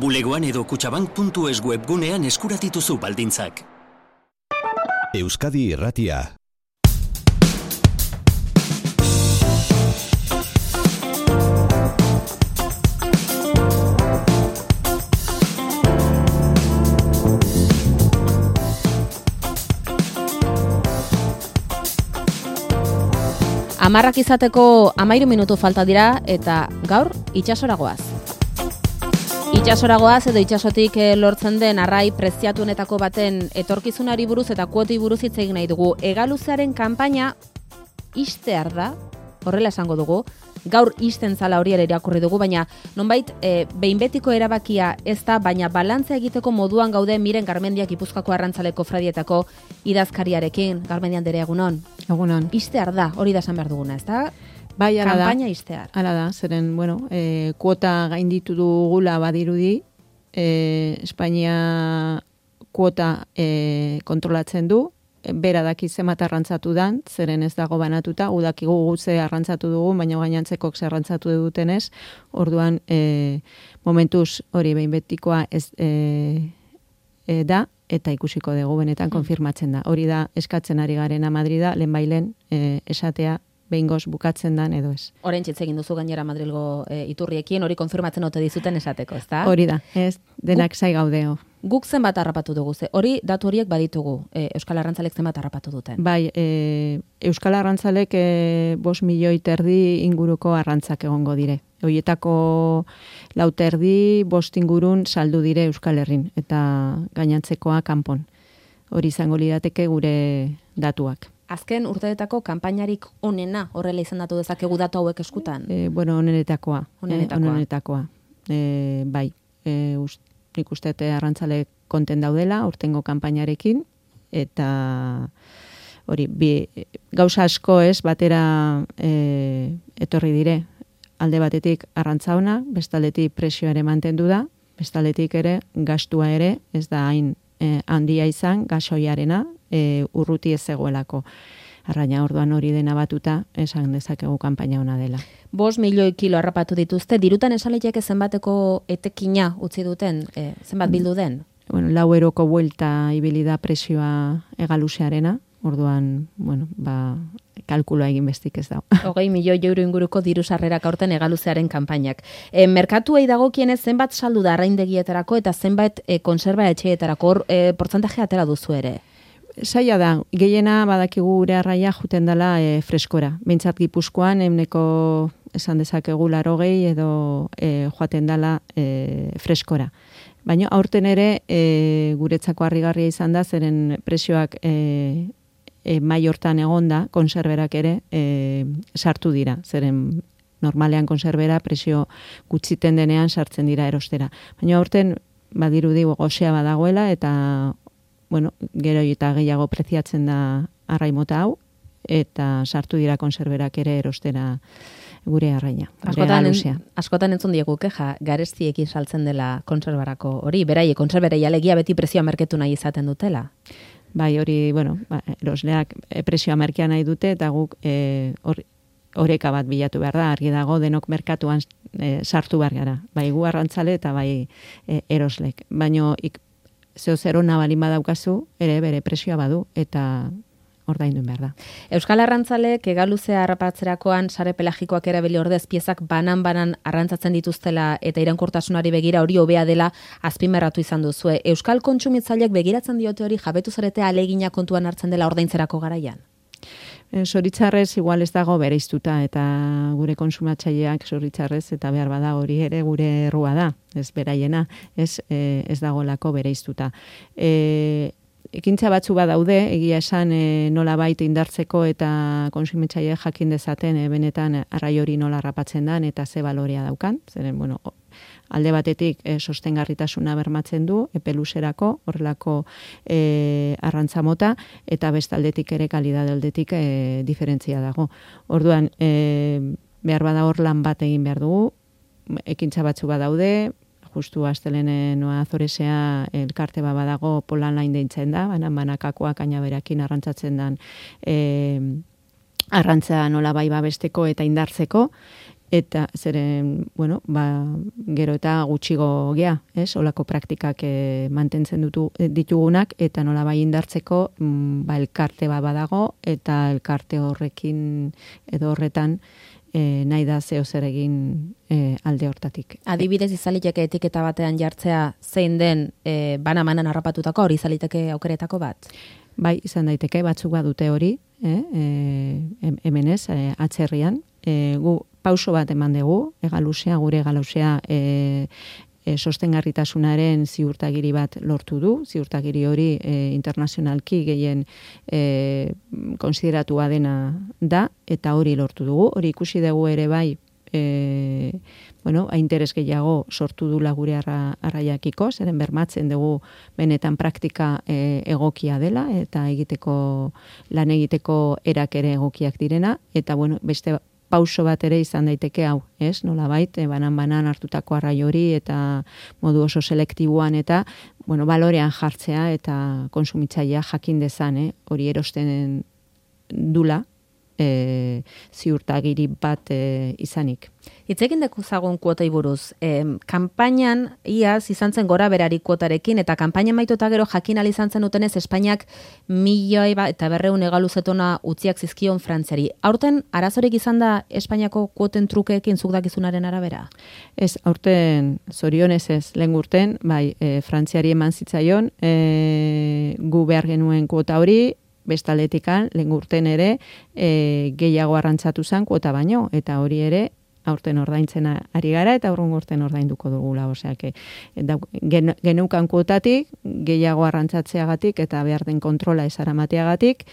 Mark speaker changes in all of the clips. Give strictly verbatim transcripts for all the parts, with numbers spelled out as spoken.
Speaker 1: Bulegoan edo kutxabank puntu es webgunean eskuratituzu baldintzak.
Speaker 2: Euskadi Irratia.
Speaker 3: Amarrak izateko amairu minutu falta dira eta gaur itxasoragoaz. Itxasoragoaz edo itxasotik lortzen den arrai preziatuenetako baten etorkizunari buruz eta kuoti buruz hitz egin nahi dugu. Hegaluzearen kanpaina ixtear da, horrela esango dugu. Gaur ixten zala hori ere irakurri dugu, baina nonbait e, behin betiko erabakia ez da, baina balantzea egiteko moduan gaude Miren Garmendia Gipuzkoako Arrantzaleko Fradietako idazkariarekin. Garmendia anderea, egunon.
Speaker 4: Egunon.
Speaker 3: Ixtear da, hori da esan behar duguna, ez da?
Speaker 4: Bai, ala da.
Speaker 3: Kanpaina ixtear.
Speaker 4: Ala da, zeren, bueno, e, kuota gainditu dugula badirudi, e, Espainia kuota e, kontrolatzen du, bera daki zenbat arrantzatu dan, zeren ez dago banatuta, udakigu gutze arrantzatu dugu, baina gainantzekok zer arrantzatu dutenez, orduan e, momentuz hori behin betikoa ez e, e, da, eta ikusiko dugu benetan konfirmatzen da. Hori da eskatzen ari garena Madrida, lehen bailen e, esatea behingoz bukatzen dan edo ez.
Speaker 3: Orain txitz egin duzu gainera Madrilgo e, iturriekin, hori konfirmatzen ote dizuten esateko, ez da?
Speaker 4: Hori da, ez, denak zai gaudeo.
Speaker 3: Guk zenbat harrapatu dugu, ze hori datu horiek baditugu, e, Euskal Arrantzalek zenbat harrapatu duten?
Speaker 4: Bai, e, Euskal Arrantzalek e, bost milioi terdi inguruko arrantzak egongo dire. Horietako lau terdi bost ingurun saldu dire Euskal Herrin, eta gainantzekoa kanpon. Hori izango lirateke gure datuak.
Speaker 3: Azken urteetako kanpainarik onena horrela izendatu dezakegu datu hauek eskutan?
Speaker 4: E, bueno, onenetakoa.
Speaker 3: Onenetakoa.
Speaker 4: E, onenetakoa. E, bai, e, ust, nik uste arrantzale konten daudela, urtengo kanpainarekin, eta hori, bi, gauza asko ez, batera e, etorri dire, alde batetik arrantza ona, bestaldetik presioa ere mantendu da, bestaldetik ere gastua ere, ez da hain e, handia izan, gasoiarena, e, urruti ez zegoelako. Arraina orduan hori dena batuta, esan dezakegu kanpaina ona dela.
Speaker 3: Bost milioi kilo harrapatu dituzte, dirutan esaleiek zenbateko etekina utzi duten, e, zenbat bildu den?
Speaker 4: Bueno, lau eroko buelta ibili da presioa hegaluzearena, orduan, bueno, ba, kalkuloa egin bestik ez da.
Speaker 3: Hogei milioi euro inguruko diru sarrerak aurten hegaluzearen kanpainak. E, merkatuei dagokienez zenbat saldu da arraindegietarako eta zenbat e, konserba etxeetarako, hor e, portzentaje atera duzu ere?
Speaker 4: Saia da, gehiena badakigu gure arraia juten dela e, freskora. Behintzat Gipuzkoan, emneko esan dezakegu larogei edo e, joaten dela e, freskora. Baina aurten ere e, guretzako harrigarria izan da, zeren presioak e, e, mai hortan egonda, konserberak ere e, sartu dira. Zeren normalean konserbera presio gutxiten denean sartzen dira erostera. Baina aurten badirudi gozea badagoela eta bueno, gero eta gehiago preziatzen da arraimota hau, eta sartu dira konserberak ere erostera gure arraina.
Speaker 3: Askotan, en, askotan entzun diegu keja, garestiekin saltzen dela konserbarako hori, berai, konserberei alegia beti presioa merketu nahi izaten dutela.
Speaker 4: Bai, hori, bueno, ba, erosleak presioa merkea nahi dute, eta guk e, or, oreka bat bilatu behar da, argi dago denok merkatuan e, sartu behar gara. Bai, gu arrantzale eta bai e, eroslek. Baina ik, zeo zero nabalin badaukazu, ere bere presioa badu, eta ordainduen behar da.
Speaker 3: Euskal Arrantzalek hegaluzea harrapatzerakoan sare pelagikoak erabili ordez piezak banan-banan arrantzatzen dituztela eta iraunkortasunari begira hori hobea dela azpimarratu izan duzue. Euskal kontsumitzaileek begiratzen diote hori jabetu zarete alegina kontuan hartzen dela ordaintzerako garaian?
Speaker 4: Zoritzarrez igual ez dago bereiztuta eta gure konsumatzaileak zoritzarrez eta behar bada hori ere gure errua da, ez beraiena, ez, e, ez dagolako bereiztuta. E, ekintza batzu badaude, egia esan e, nola baita indartzeko eta konsumitzaileak jakin dezaten e, benetan arrai hori nola harrapatzen dan eta ze balorea daukan, zeren, bueno, alde batetik e, sostengarritasuna bermatzen du, epe luzerako, horrelako e, arrantza mota, eta bestaldetik ere kalidade aldetik e, diferentzia dago. Orduan, e, behar bada hor lan bat egin behar dugu, ekintza batzu badaude, justu astelene noa Azoresea elkarte bat badago polan lain deintzen da, banan banakakoak kainaberakin arrantzatzen dan e, arrantza nola bai babesteko eta indartzeko, eta zeren, bueno, ba, gero eta gutxigo gea, ez? Olako praktikak e, mantentzen dutu, ditugunak, eta nola bai indartzeko, mm, ba, elkarte bat badago, eta elkarte horrekin edo horretan e, nahi da zeo zer egin e, alde hortatik.
Speaker 3: Adibidez, izaliteke etiketa batean jartzea zein den e, bana-manan harrapatutako, hori izaliteke aukeretako bat?
Speaker 4: Bai, izan daiteke, batzuk badute hori, eh? E, hemen ez, e, atzerrian, e, gu pauso bat eman dugu, egalusea, gure egalusea e, e, sostengarritasunaren ziurtagiri bat lortu du, ziurtagiri hori e, internazionalki gehien e, konsideratua dena da, eta hori lortu dugu, hori ikusi dugu ere bai, e, bueno, interes gehiago sortu dula gure arra, arraiakiko, zeren bermatzen dugu benetan praktika e, egokia dela, eta egiteko, lan egiteko erak ere egokiak direna, eta bueno, beste pauso bat ere izan daiteke hau, ez? Nolabait, e, banan-banan hartutako arrai hori eta modu oso selektiboan eta, bueno, balorean jartzea eta konsumitzailea jakin dezan, eh? Hori erosten dula, e, ziurtagiri bat e, izanik.
Speaker 3: Itzekin dekuzagun kuotei buruz, e, kanpainan iaz izan zen gora berari kuotarekin, eta kanpaina maituta gero jakin al izan zen utenez Espainiak milioi ba, eta berreun egaluzetona utziak zizkion Frantziari. Aurten arazorik izan da Espainiako kuoten trukeekin zuk dakizunaren arabera?
Speaker 4: Ez, aurten zorionez ez, lehen urten, bai, e, Frantziari eman zitzaion, e, gu behar genuen kuota hori, bestaletikan, lehen urten ere, e, gehiago arrantzatu zen kuota baino, eta hori ere, aurten ordaintzen ari gara, eta aurrun urten ordainduko dugula, osea, que, gen, geneukan kuotatik, gehiago arrantzatzeagatik, eta behar den kontrola esaramateagatik,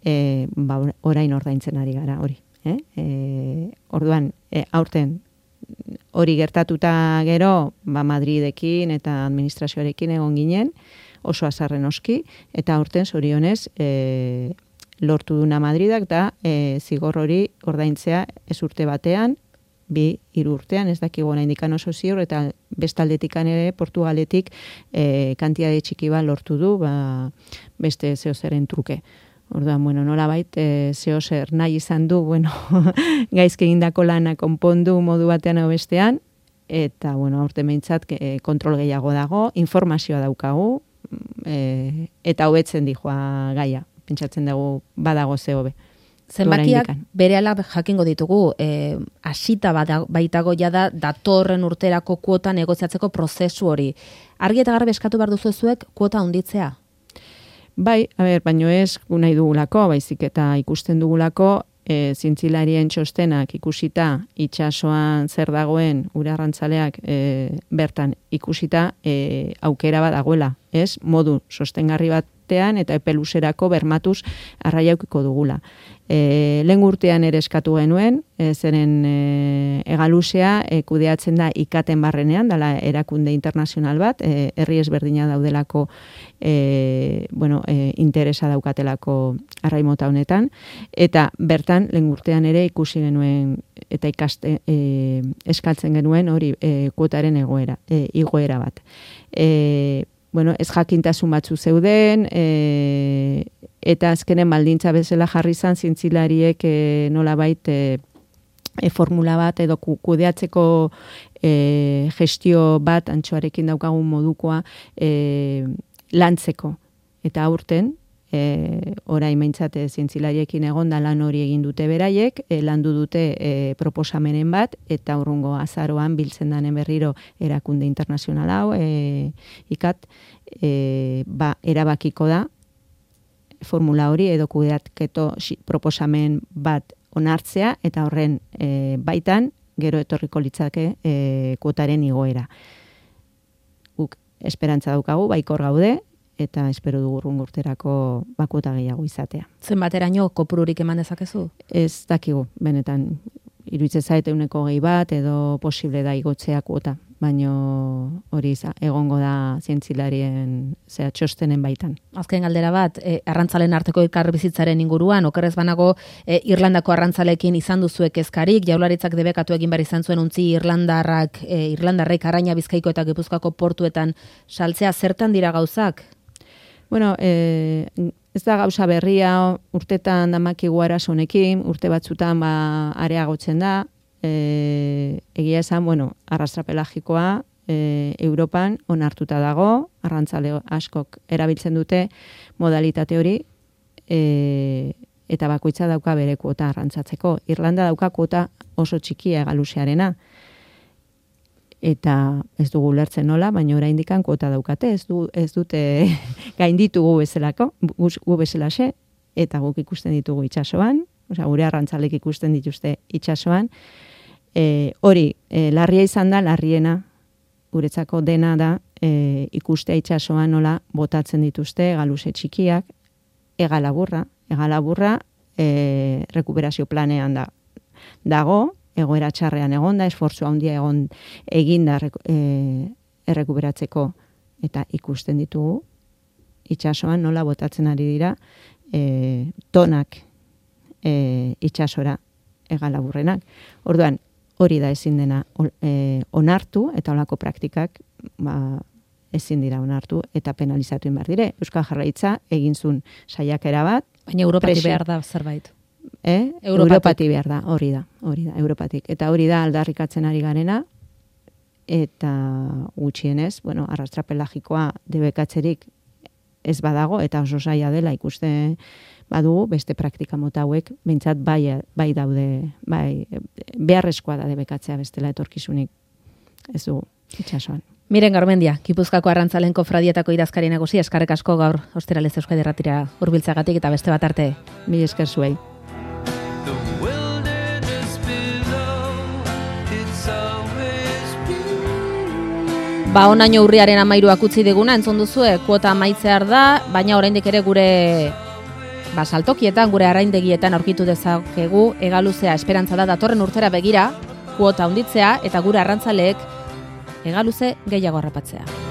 Speaker 4: e, ba, orain ordaintzen ari gara, hori. Eh? E, orduan, e, aurten, hori gertatuta gero, ba, Madridekin eta administrazioarekin egon ginen, oso azarren oski, eta aurten zorionez e, lortu duna Madridak da e, zigor hori ordaintzea ez urte batean, bi hiru urtean, ez dakigu oraindik oso ziur, eta bestaldetikan ere Portugaletik e, kantitate txiki bat lortu du, ba, beste zeozeren truke. Orduan, bueno, nolabait, e, zeozer nahi izan du, bueno, gaizki egindako lana konpondu modu batean edo bestean, eta, bueno, aurten behintzat e, kontrol gehiago dago, informazioa daukagu, e, eta hobetzen dijoa gaia. Pentsatzen dugu badago ze hobe.
Speaker 3: Zenbakiak berehala jakingo ditugu, eh, hasita baitago jada datorren urterako kuota negoziatzeko prozesu hori. Argi eta garbi eskatu behar duzu zuek kuota handitzea?
Speaker 4: Bai, a ber, baino ez nahi dugulako, baizik eta ikusten dugulako, e, zintzilarien txostenak ikusita, itsasoan zer dagoen, ure arrantzaleak e, bertan ikusita, e, aukera bat dagoela, ez? Modu sostengarri batean eta epeluserako bermatuz arraiaukiko dugula. E, lehen urtean ere eskatu genuen, e, zeren e, egalusea e, kudeatzen da ikaten barrenean, dala erakunde internazional bat, e, herri ezberdina daudelako e, bueno, e, interesa daukatelako arraimota honetan, eta bertan lehen urtean ere ikusi genuen eta ikaste, e, eskatzen genuen hori e, kuotaren egoera, e, igoera bat. E, bueno, ez jakintasun batzu zeuden, e, eta azkenen baldintza bezala jarri izan zintzilariek e, nolabait e, e, formula bat edo kudeatzeko e, gestio bat antxoarekin daukagun modukoa e, lantzeko. Eta aurten, e, orain meintzate zientzilariekin egon da lan hori egin dute beraiek, e, landu dute e, proposamenen bat, eta urrungo azaroan biltzen danen berriro erakunde internazional hau, e, ikat, e, ba, erabakiko da, formula hori edo kudeatketo proposamen bat onartzea, eta horren e, baitan gero etorriko litzake e, kuotaren igoera. Guk esperantza daukagu, baikor gaude, eta espero dugu urrungo urterako bakuota gehiago izatea.
Speaker 3: Zenbateraino kopururik eman dezakezu?
Speaker 4: Ez dakigu, benetan, iruditzen zait ehuneko gehi bat edo posible da igotzea kuota, baino hori egongo da zientzilarien zera txostenen baitan.
Speaker 3: Azken galdera bat, e, arrantzalen arteko elkarbizitzaren inguruan, okerrez banago e, Irlandako arrantzalekin izan duzuek ezkarik, Jaurlaritzak debekatu egin behar izan zuen untzi Irlandarrak, e, Irlandarrek Araña, Bizkaiko eta Gipuzkoako portuetan saltzea, zertan dira gauzak?
Speaker 4: Bueno, e, ez da gauza berria, urtetan damakigu arazo honekin, urte batzutan ba, areagotzen da, e, egia esan, bueno, arrastra pelagikoa e, Europan onartuta dago, arrantzale askok erabiltzen dute modalitate hori, e, eta bakoitza dauka bere kuota arrantzatzeko. Irlanda dauka kuota oso txikia egaluzearena, eta ez dugu lertzen nola, baina oraindikan kuota daukate, ez, du, ez dute gainditu gu bezalako, gu bezalaxe, eta guk ikusten ditugu itsasoan, osea, gure arrantzalek ikusten dituzte itsasoan. E, hori, e, larria izan da, larriena, guretzako dena da, e, ikustea itsasoan nola botatzen dituzte egaluze txikiak, egalaburra, egalaburra e, rekuperazio planean da, dago, egoera txarrean egon da, esfortzua handia egon eginda e, errekuperatzeko, eta ikusten ditugu itsasoan nola botatzen ari dira e, tonak e, itsasora egalaburrenak. Orduan, hori da ezin dena e, onartu, eta holako praktikak ba, ezin dira onartu, eta penalizatu behar dire. Euskal Jarraitza egin zuen saiakera bat.
Speaker 3: Baina Europatik behar da zerbait.
Speaker 4: Eh? Europatik behar da, hori da, hori da, Europatik. Eta hori da aldarrikatzen ari garena, eta gutxienez, bueno, arrastra pelagikoa debekatzerik ez badago, eta oso zaila dela ikuste badugu, beste praktika mota hauek, behintzat bai, bai daude, bai, beharrezkoa da debekatzea bestela etorkizunik, ez du itsasoan.
Speaker 3: Miren Garmendia, Gipuzkoako Arrantzalen Kofradietako idazkari nagusi, eskarrek asko gaur Osteralez Euskadi Irratira hurbiltzeagatik eta beste bat arte.
Speaker 4: Mil esker zuei.
Speaker 3: Ba, onaino urriaren amairuak utzi diguna, entzun duzue, kuota amaitzear da, baina oraindik ere gure ba, saltokietan, gure arraindegietan aurkitu dezakegu, egaluzea esperantza da datorren urtera begira, kuota handitzea eta gure arrantzaleek egaluze gehiago harrapatzea.